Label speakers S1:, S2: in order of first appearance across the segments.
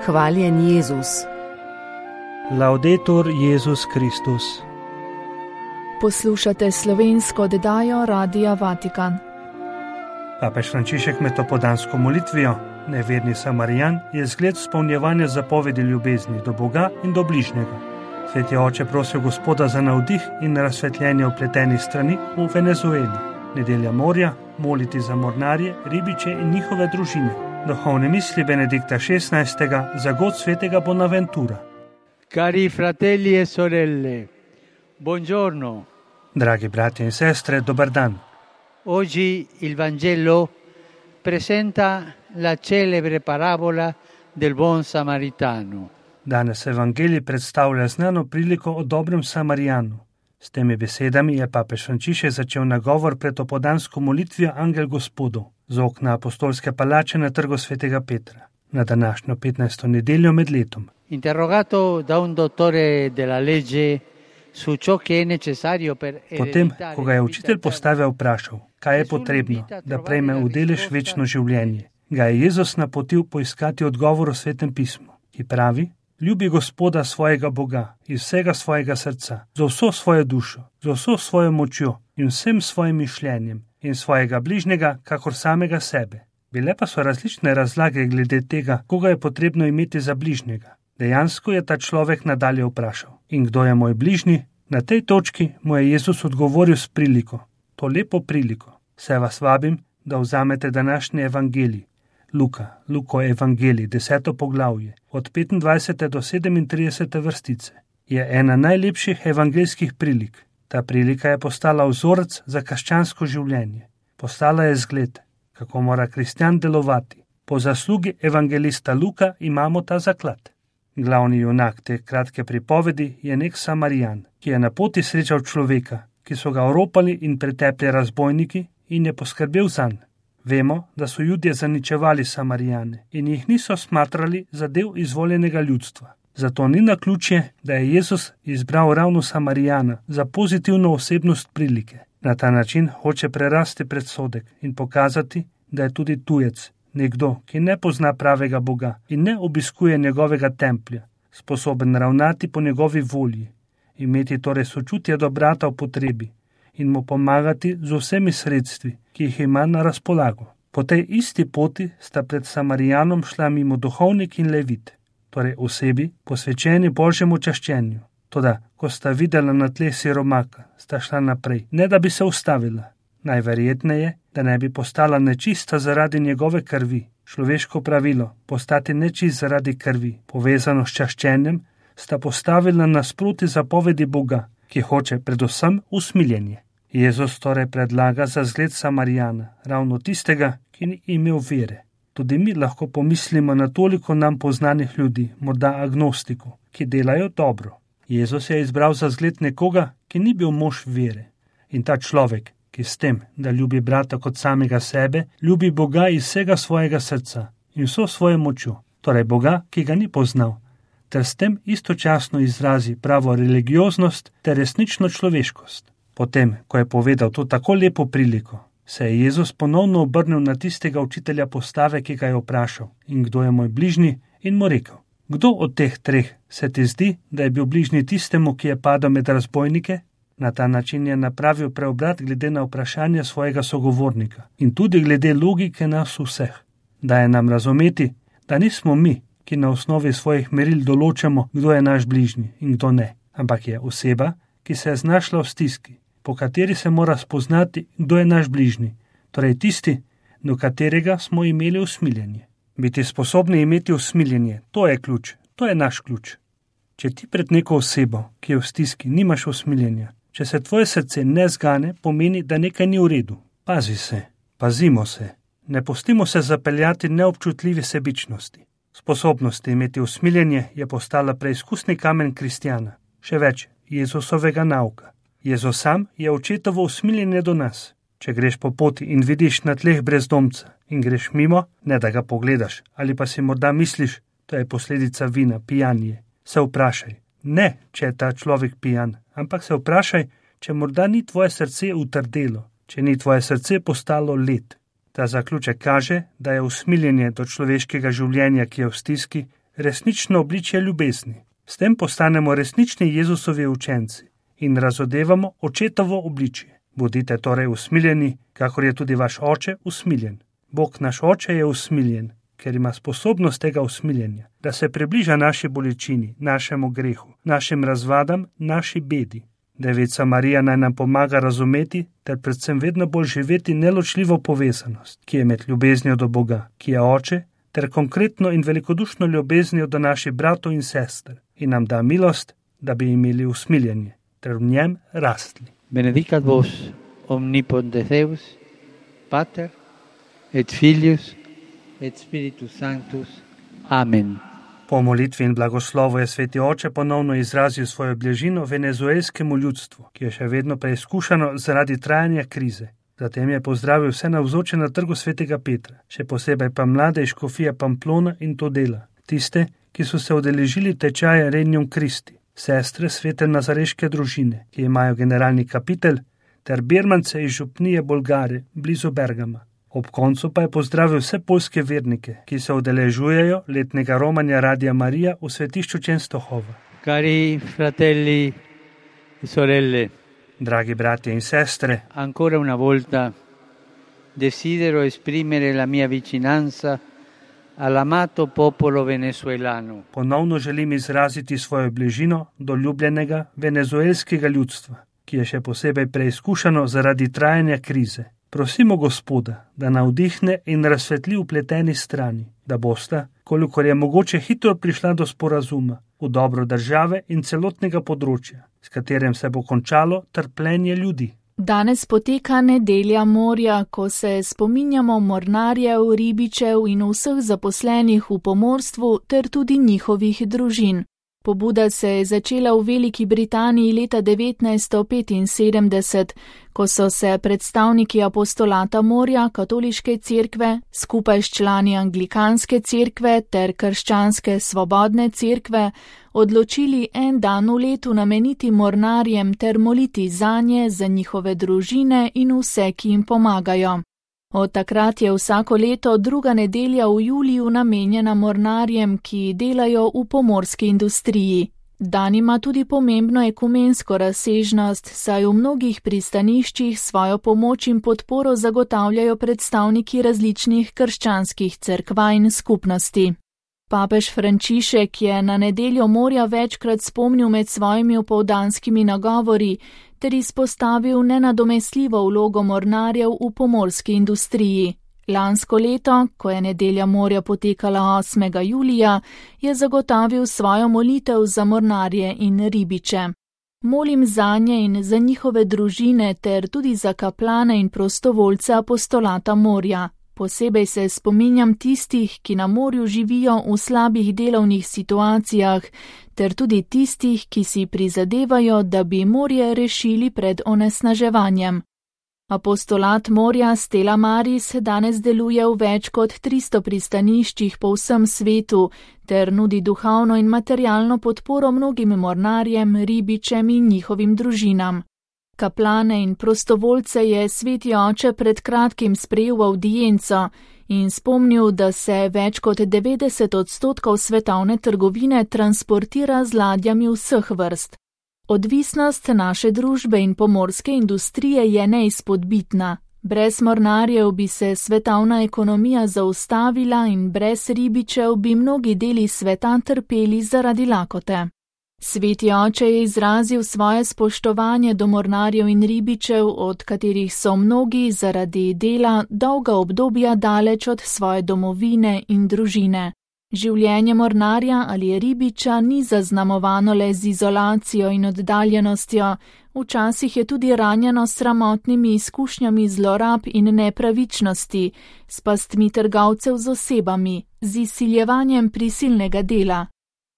S1: Hvaljen Jezus.
S2: Laudetur Jezus Kristus.
S3: Poslušate slovensko oddajo Radia Vatikan.
S2: Papež Frančišek med topodansko molitvijo, neverni Samarijan, je zgled izpolnjevanja zapovedi ljubezni do Boga in do bližnjega. Sveti oče prosil Gospoda za navdih in razsvetljenje vpletenih strani v Venezueli. Nedelja morja, moliti za mornarje, ribiče in njihove družine. Duhovne misli Benedikta XVI. Za god svetega Bonaventura.
S4: Cari fratelli e sorelle, buongiorno.
S2: Dragi bratje in sestre, dober dan.
S4: Oggi il Vangelo presenta la celebre parabola del buon samaritano.
S2: Danes Evangelij predstavlja znano priliko o dobrem Samarijanu. S temi besedami je papež Frančišek začel nagovor pred opodansko molitvijo Angel Gospodov z okna apostolske palače na trgu svetega Petra, na današnjo 15. nedeljo med letom.
S4: Interrogato da un dottore della legge su ciò che è necessario per
S2: Potem, ko ga je učitelj postavil vprašal, kaj je potrebno, da prejme v delež večno življenje, ga je Jezus napotil poiskati odgovor v Svetem pismu, ki pravi: ljubi Gospoda svojega Boga iz vsega svojega srca, z vso svojo dušo, z vso svojo močjo in vsem svojim mišljenjem in svojega bližnjega, kakor samega sebe. Bile pa so različne razlage glede tega, koga je potrebno imeti za bližnjega. Dejansko je ta človek nadalje vprašal: in kdo je moj bližnji? Na tej točki mu je Jezus odgovoril s priliko, to lepo priliko. Se vas vabim, da vzamete današnji evangelij, Luko evangelij, 10. poglavje, od 25. do 37. vrstice. Je ena najlepših evangeljskih prilik. Ta prilika je postala vzorec za krščansko življenje. Postala je zgled, kako mora kristjan delovati. Po zaslugi evangelista Luka imamo ta zaklad. Glavni junak te kratke pripovedi je nek Samarijan, ki je na poti srečal človeka, ki so ga oropali in pretepli razbojniki, in je poskrbel zanj. Vemo, da so Judje zaničevali Samarijane in jih niso smatrali za del izvoljenega ljudstva. Zato ni naključje, da je Jezus izbral ravno Samarijana za pozitivno osebnost prilike. Na ta način hoče prerasti predsodek in pokazati, da je tudi tujec, nekdo, ki ne pozna pravega Boga in ne obiskuje njegovega templja, sposoben ravnati po njegovi volji, imeti torej sočutje do brata v potrebi in mu pomagati z vsemi sredstvi, ki jih ima na razpolago. Po tej isti poti sta pred Samarijanom šla mimo duhovnik in levit, torej osebi posvečeni Božjemu čaščenju. Toda, ko sta videla na tleh siromaka, sta šla naprej, ne da bi se ustavila. Najverjetneje, da ne bi postala nečista zaradi njegove krvi. Človeško pravilo, postati nečist zaradi krvi, povezano s čaščenjem, sta postavila nasproti zapovedi Boga, ki hoče predvsem usmiljenje. Jezus torej predlaga za zgled Samarijana, ravno tistega, ki ni imel vere. Tudi mi lahko pomislimo na toliko nam poznanih ljudi, morda agnostikov, ki delajo dobro. Jezus je izbral za zgled nekoga, ki ni bil mož vere. In ta človek, ki s tem, da ljubi brata kot samega sebe, ljubi Boga iz vsega svojega srca in vso svojo močjo, torej Boga, ki ga ni poznal, ter s tem istočasno izrazi pravo religioznost ter resnično človeškost. Potem, ko je povedal to tako lepo priliko, se je Jezus ponovno obrnil na tistega učitelja postave, ki ga je vprašal: in kdo je moj bližnji? In mu rekel: kdo od teh treh se ti zdi, da je bil bližnji tistemu, ki je padel med razbojnike? Na ta način je napravil preobrat glede na vprašanje svojega sogovornika in tudi glede logike nas vseh. Daje nam razumeti, da nismo mi, ki na osnovi svojih meril določamo, kdo je naš bližnji in kdo ne, ampak je oseba, ki se je znašla v stiski, po kateri se mora spoznati, kdo je naš bližnji, torej tisti, do katerega smo imeli usmiljenje. Biti sposobni imeti usmiljenje, to je ključ, to je naš ključ. Če ti pred neko osebo, ki je v stiski, nimaš usmiljenja, če se tvoje srce ne zgane, pomeni, da nekaj ni v redu. Pazi se, pazimo se, ne pustimo se zapeljati neobčutljivi sebičnosti. Sposobnost imeti usmiljenje je postala preizkusni kamen kristjana, še več, Jezusovega nauka. Jezus sam je očetovo usmiljenje do nas. Če greš po poti in vidiš na tleh brezdomca in greš mimo, ne da ga pogledaš, ali pa si morda misliš, to je posledica vina, pijanje, se vprašaj, ne, če je ta človek pijan, ampak se vprašaj, če morda ni tvoje srce utrdelo, če ni tvoje srce postalo led. Ta zaključek kaže, da je usmiljenje do človeškega življenja, ki je v stiski, resnično obličje ljubezni. S tem postanemo resnični Jezusovi učenci in razodevamo očetovo obličje. Bodite torej usmiljeni, kakor je tudi vaš oče usmiljen. Bog naš oče je usmiljen, ker ima sposobnost tega usmiljenja, da se približa naši bolečini, našemu grehu, našim razvadam, naši bedi. Devica Marija naj nam pomaga razumeti ter predvsem vedno bolj živeti neločljivo povezanost, ki je med ljubeznijo do Boga, ki je oče, ter konkretno in velikodušno ljubeznijo do naših bratov in sester in nam da milost, da bi imeli usmiljenje ter v njem rastli.
S4: Benedicat vos omnipotens Deus, Pater et Filius et Spiritus Sanctus. Amen.
S2: Po molitvi in blagoslovu je sveti oče ponovno izrazil svojo bližino venezuelskemu ljudstvu, ki je še vedno preizkušano zaradi trajanja krize. Zatem je pozdravil vse navzoče na trgu svetega Petra, še posebej pa mlade iz škofije Pamplona in Tudela, tiste, ki so se udeležili tečaja Regnum Christi, sestre svete nazareške družine, ki imajo generalni kapitel, ter birmance iz župnije Bolgare, blizu Bergama. Ob koncu pa je pozdravil vse poljske vernike, ki se udeležujejo letnega romanja Radia Marija v svetišču Częstochowa.
S4: Cari fratelli e sorelle,
S2: dragi bratje in sestre,
S4: ancora una volta desidero esprimere la mia vicinanza all'amato popolo venezuelano.
S2: Ponovno želim izraziti svojo bližino do ljubljenega venezuelskega ljudstva, ki je še posebej preizkušano zaradi trajanja krize. Prosimo Gospoda, da navdihne in razsvetli vpleteni strani, da bosta, kolikor je mogoče, hitro prišla do sporazuma v dobro države in celotnega področja, s katerim se bo končalo trpljenje ljudi.
S3: Danes poteka nedelja morja, ko se spominjamo mornarjev, ribičev in vseh zaposlenih v pomorstvu ter tudi njihovih družin. Pobuda se je začela v Veliki Britaniji leta 1975, ko so se predstavniki apostolata morja katoliške cerkve skupaj s člani anglikanske cerkve ter krščanske svobodne cerkve odločili en dan v letu nameniti mornarjem ter moliti zanje, za njihove družine in vse, ki jim pomagajo. Od takrat je vsako leto druga nedelja v juliju namenjena mornarjem, ki delajo v pomorski industriji. Dan ima tudi pomembno ekumensko razsežnost, saj v mnogih pristaniščih svojo pomoč in podporo zagotavljajo predstavniki različnih krščanskih cerkva in skupnosti. Papež Frančišek je na nedeljo morja večkrat spomnil med svojimi opoldanskimi nagovori ter izpostavil nenadomestljivo vlogo mornarjev v pomorski industriji. Lansko leto, ko je nedelja morja potekala 8. julija, je zagotavil svojo molitev za mornarje in ribiče. Molim zanje in za njihove družine ter tudi za kaplane in prostovoljce apostolata morja. Posebej se spominjam tistih, ki na morju živijo v slabih delovnih situacijah, ter tudi tistih, ki si prizadevajo, da bi morje rešili pred onesnaževanjem. Apostolat morja Stella Maris danes deluje v več kot 300 pristaniščih po vsem svetu, ter nudi duhovno in materialno podporo mnogim mornarjem, ribičem in njihovim družinam. Kaplane in prostovoljce je sveti oče pred kratkim sprejel v avdienco in spomnil, da se več kot 90% svetovne trgovine transportira z ladjami vseh vrst. Odvisnost naše družbe in pomorske industrije je neizpodbitna. Brez mornarjev bi se svetovna ekonomija zaustavila in brez ribičev bi mnogi deli sveta trpeli zaradi lakote. Sveti oče je izrazil svoje spoštovanje do mornarjev in ribičev, od katerih so mnogi zaradi dela dolga obdobja daleč od svoje domovine in družine. Življenje mornarja ali ribiča ni zaznamovano le z izolacijo in oddaljenostjo, včasih je tudi ranjeno s sramotnimi izkušnjami zlorab in nepravičnosti, s pastmi trgovcev z osebami, z izsiljevanjem prisilnega dela.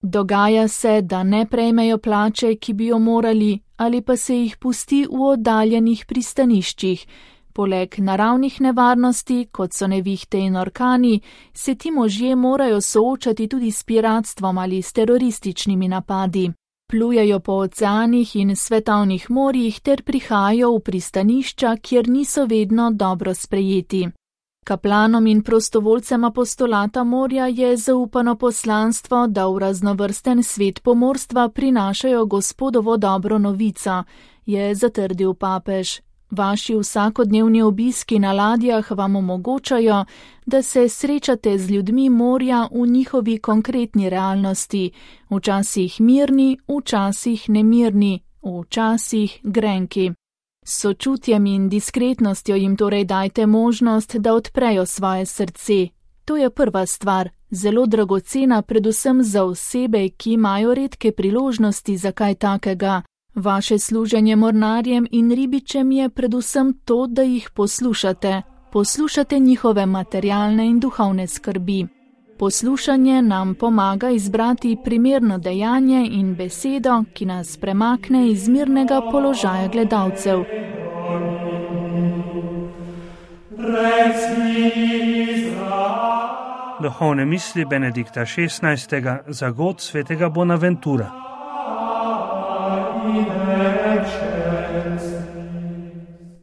S3: Dogaja se, da ne prejmejo plače, ki bi jo morali, ali pa se jih pusti v oddaljenih pristaniščih. Poleg naravnih nevarnosti, kot so nevihte in orkani, se ti možje morajo soočati tudi s piratstvom ali s terorističnimi napadi. Plujejo po oceanih in svetovnih morjih ter prihajajo v pristanišča, kjer niso vedno dobro sprejeti. Kaplanom in prostovoljcem apostolata morja je zaupano poslanstvo, da v raznovrsten svet pomorstva prinašajo Gospodovo dobro novico, je zatrdil papež. Vaši vsakodnevni obiski na ladjah vam omogočajo, da se srečate z ljudmi morja v njihovi konkretni realnosti, včasih mirni, včasih nemirni, včasih grenki. S sočutjem in diskretnostjo jim torej dajte možnost, da odprejo svoje srce. To je prva stvar, zelo dragocena predvsem za osebe, ki imajo redke priložnosti za kaj takega. Vaše služenje mornarjem in ribičem je predvsem to, da jih poslušate. Poslušate njihove materialne in duhovne skrbi. Poslušanje nam pomaga izbrati primerno dejanje in besedo, ki nas premakne iz mirnega položaja gledalcev.
S2: Duhovne misli Benedikta XVI. Za god svetega Bonaventura.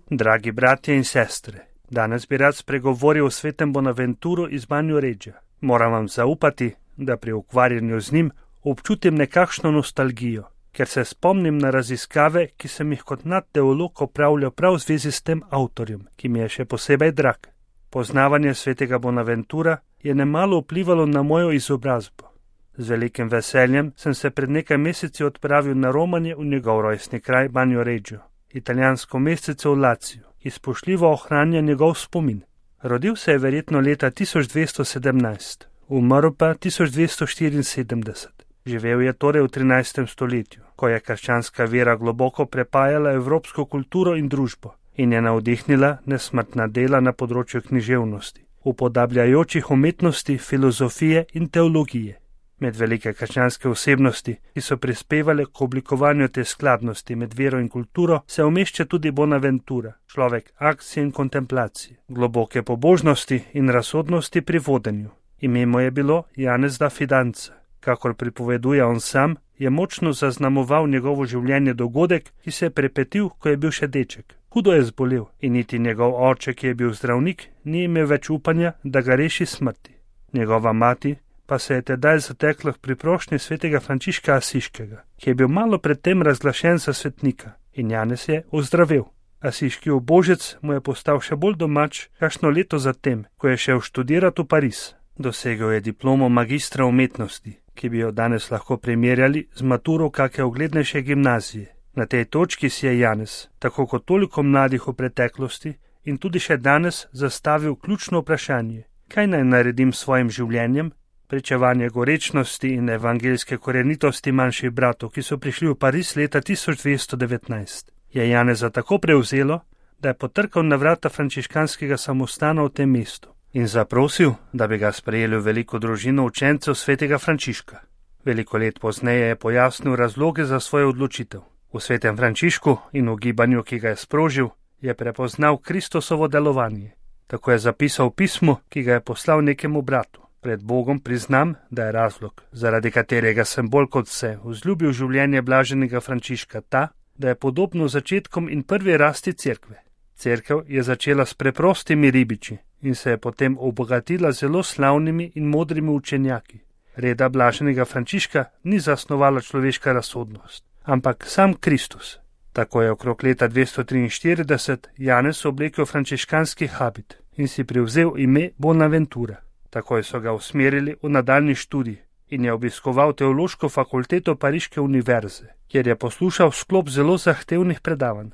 S2: Dragi bratje in sestre, danes bi rad spregovoril o svetem Bonaventuru iz Banjoreggia. Moram vam zaupati, da pri ukvarjanju z njim občutim nekakšno nostalgijo, ker se spomnim na raziskave, ki sem jih kot nadteolog opravljal prav v zvezi s tem avtorjem, ki mi je še posebej drag. Poznavanje svetega Bonaventura je nemalo vplivalo na mojo izobrazbo. Z velikim veseljem sem se pred nekaj meseci odpravil na romanje v njegov rojstni kraj Banjoreggio, italijansko mestece v Laciju, ki spoštljivo ohranja njegov spomin. Rodil se je verjetno leta 1217, umrl pa 1274. Živel je torej v 13. stoletju, ko je krščanska vera globoko prepajala evropsko kulturo in družbo in je navdihnila nesmrtna dela na področju književnosti, upodabljajočih umetnosti, filozofije in teologije. Med velike krščanske osebnosti, ki so prispevale k oblikovanju te skladnosti med vero in kulturo, se umešča tudi Bonaventura, človek akcije in kontemplacije, globoke pobožnosti in razsodnosti pri vodenju. Ime mu je bilo Janez da Fidanza. Kakor pripoveduje on sam, je močno zaznamoval njegovo življenje dogodek, ki se je prepetil, ko je bil še deček. Hudo je zbolel in niti njegov oče, ki je bil zdravnik, ni imel več upanja, da ga reši smrti. Njegova mati pa se je tedaj zatekla pri prošnji svetega Frančiška Asiškega, ki je bil malo predtem razglašen za svetnika, in Janez je ozdravel. Asiški ubožec mu je postal še bolj domač kakšno leto zatem, ko je šel študirati v Pariz. Dosegel je diplomo magistra umetnosti, ki bi jo danes lahko primerjali z maturo kake uglednejše gimnazije. Na tej točki si je Janez, tako kot toliko mladih v preteklosti in tudi še danes, zastavil ključno vprašanje: kaj naj naredim s svojim življenjem? Pričevanje gorečnosti in evangeljske korenitosti manjših bratov, ki so prišli v Pariz leta 1219, je Janeza tako prevzelo, da je potrkal na vrata frančiškanskega samostana v tem mestu in zaprosil, da bi ga sprejeli v veliko družino učencev svetega Frančiška. Veliko let pozneje je pojasnil razloge za svojo odločitev. V svetem Frančišku in v gibanju, ki ga je sprožil, je prepoznal Kristosovo delovanje. Tako je zapisal pismo, ki ga je poslal nekemu bratu. Pred Bogom priznam, da je razlog, zaradi katerega sem bolj kot vse vzljubil življenje blaženega Frančiška, ta, da je podobno začetkom in prvi rasti cerkve. Cerkev je začela s preprostimi ribiči in se je potem obogatila zelo slavnimi in modrimi učenjaki. Reda blaženega Frančiška ni zasnovala človeška razsodnost, ampak sam Kristus. Tako je okrog leta 243 Janez oblekel frančiškanski habit in si privzel ime Bonaventura. Takoj so ga usmerili v nadaljni študij in je obiskoval teološko fakulteto Pariške univerze, kjer je poslušal sklop zelo zahtevnih predavanj.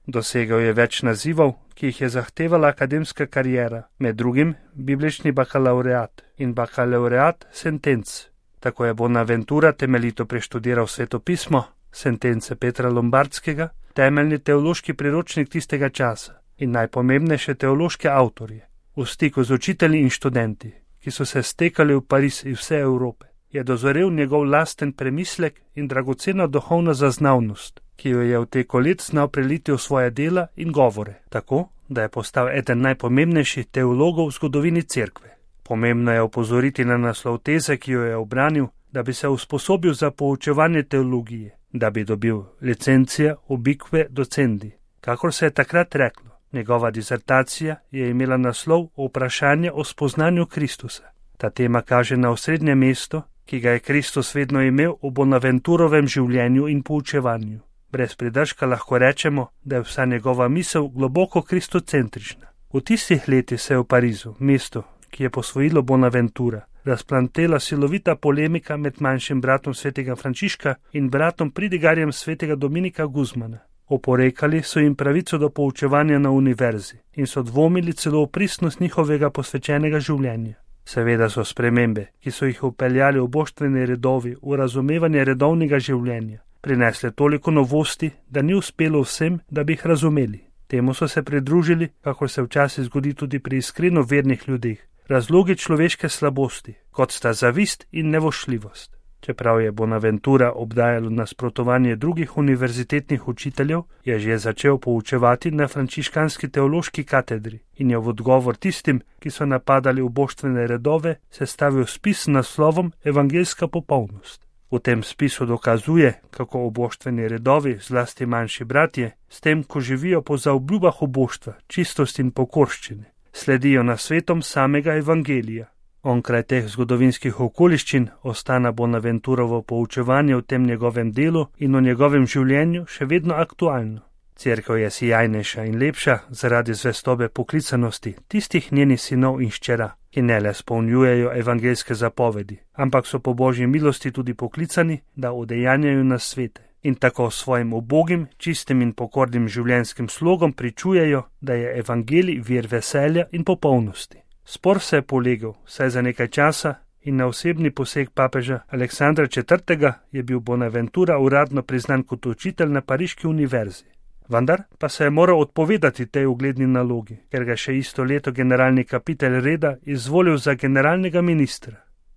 S2: Dosegel je več nazivov, ki jih je zahtevala akademska kariera, med drugim biblični bakalaureat in bakalaureat sentenc. Tako je Bonaventura temeljito preštudiral svetopismo, sentence Petra Lombardskega, temeljni teološki priročnik tistega časa in najpomembnejše teološke avtorje. V stiku z učitelji in študenti, ki so se stekali v Pariz iz vse Evrope, je dozorel njegov lasten premislek in dragocena duhovna zaznavnost, ki jo je v teko let znal preliti v svoje dela in govore, tako, da je postal eden najpomembnejših teologov v zgodovini cerkve. Pomembno je opozoriti na naslov teze, ki jo je obranil, da bi se usposobil za poučevanje teologije, da bi dobil licencija ubique docendi, kakor se je takrat reklo. Njegova disertacija je imela naslov Vprašanje o spoznanju Kristusa. Ta tema kaže na osrednje mesto, ki ga je Kristus vedno imel v Bonaventurovem življenju in poučevanju. Brez pridržka lahko rečemo, da je vsa njegova misel globoko kristocentrična. V tistih letih se je v Parizu, mestu, ki je posvojilo Bonaventura, razplantela silovita polemika med manjšim bratom svetega Frančiška in bratom pridigarjem svetega Dominika Guzmana. Oporekali so jim pravico do poučevanja na univerzi in so dvomili celo v pristnost njihovega posvečenega življenja. Seveda so spremembe, ki so jih vpeljali oboštveni redovi v razumevanje redovnega življenja, prinesle toliko novosti, da ni uspelo vsem, da bi jih razumeli. Temu so se pridružili, kakor se včasih zgodi tudi pri iskreno vernih ljudeh, razlogi človeške slabosti, kot sta zavist in nevošljivost. Čeprav je Bonaventura obdajalo nasprotovanje drugih univerzitetnih učiteljev, je že začel poučevati na frančiškanski teološki katedri in je v odgovor tistim, ki so napadali uboštvene redove, sestavil spis s naslovom Evangeljska popolnost. V tem spisu dokazuje, kako uboštveni redovi, zlasti manjši bratje, s tem, ko živijo po zaobljubah uboštva, čistosti in pokorščine, sledijo nasvetom samega evangelija. Onkraj teh zgodovinskih okoliščin ostana Bonaventurovo poučevanje v tem njegovem delu in o njegovem življenju še vedno aktualno. Cerkev je sijajnejša in lepša zaradi zvestobe poklicanosti tistih njenih sinov in hčera, ki ne le spolnjujejo evangeljske zapovedi, ampak so po Božji milosti tudi poklicani, da udejanjajo nasvete in tako svojim ubogim, čistim in pokornim življenjskim slogom pričujejo, da je evangelij vir veselja in popolnosti. Spor se je polegel, saj za nekaj časa in na osebni poseg papeža Aleksandra IV. Je bil Bonaventura uradno priznan kot učitelj na Pariški univerzi. Vendar pa se je moral odpovedati tej ugledni nalogi, ker ga še isto leto generalni kapitelj reda izvolil za generalnega ministra.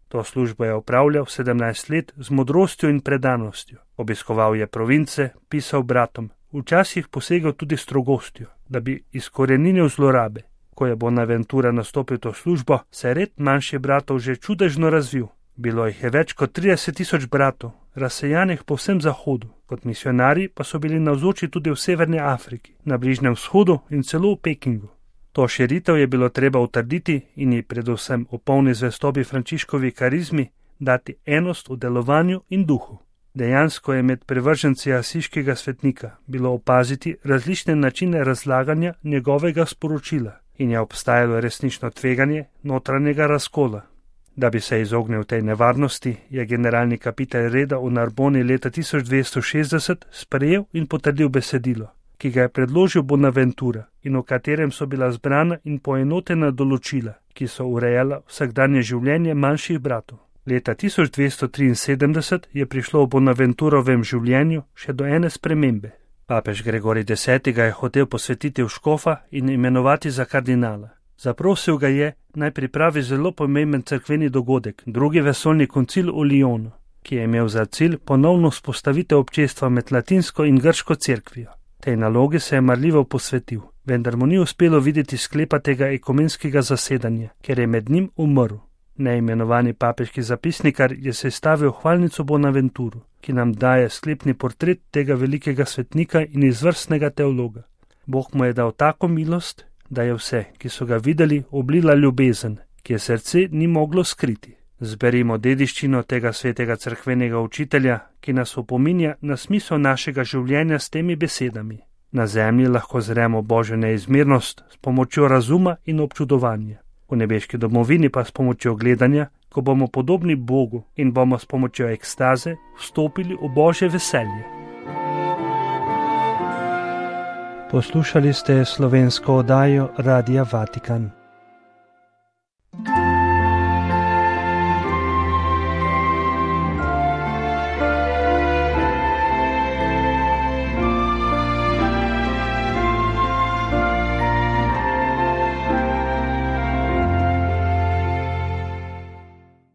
S2: To službo je opravljal 17 let z modrostjo in predanostjo. Obiskoval je province, pisal bratom, včasih posegel tudi strogostjo, da bi izkoreninil zlorabe. Ko je Bonaventura nastopil to službo, se je red manjših bratov že čudežno razvil. Bilo jih je več kot 30.000 bratov, razsejanih po vsem Zahodu. Kot misionarji pa so bili navzoči tudi v Severni Afriki, na Bližnjem vzhodu in celo v Pekingu. To širitev je bilo treba utrditi in ji predvsem v polni zvestobi Frančiškovi karizmi dati enost v delovanju in duhu. Dejansko je med privrženci asiškega svetnika bilo opaziti različne načine razlaganja njegovega sporočila in je obstajalo resnično tveganje notranjega razkola. Da bi se izognil tej nevarnosti, je generalni kapitelj reda v Narboni leta 1260 sprejel in potrdil besedilo, ki ga je predložil Bonaventura in v katerem so bila zbrana in poenotena določila, ki so urejala vsakdanje življenje manjših bratov. Leta 1273 je prišlo v Bonaventurovem življenju še do ene spremembe. Papež Gregorij X. ga je hotel posvetiti v škofa in imenovati za kardinala. Zaprosil ga je, naj pripravi zelo pomemben cerkveni dogodek, drugi vesoljni koncil v Lyonu, ki je imel za cilj ponovno vzpostavitev občestva med latinsko in grško cerkvijo. Tej nalogi se je marljivo posvetil, vendar mu ni uspelo videti sklepa tega ekumenskega zasedanja, ker je med njim umrl. Neimenovani papeški zapisnikar je sestavil hvalnico Bonaventuru, ki nam daje sklepni portret tega velikega svetnika in izvrstnega teologa. Bog mu je dal tako milost, da je vse, ki so ga videli, oblila ljubezen, ki je srce ni moglo skriti. Zberimo dediščino tega svetega cerkvenega učitelja, ki nas opominja na smisel našega življenja s temi besedami. Na zemlji lahko zremo Božjo neizmernost s pomočjo razuma in občudovanja. V nebeški domovini pa s pomočjo gledanja, ko bomo podobni Bogu in bomo s pomočjo ekstaze vstopili v Božje veselje.
S1: Poslušali ste slovensko oddajo Radia Vatikan.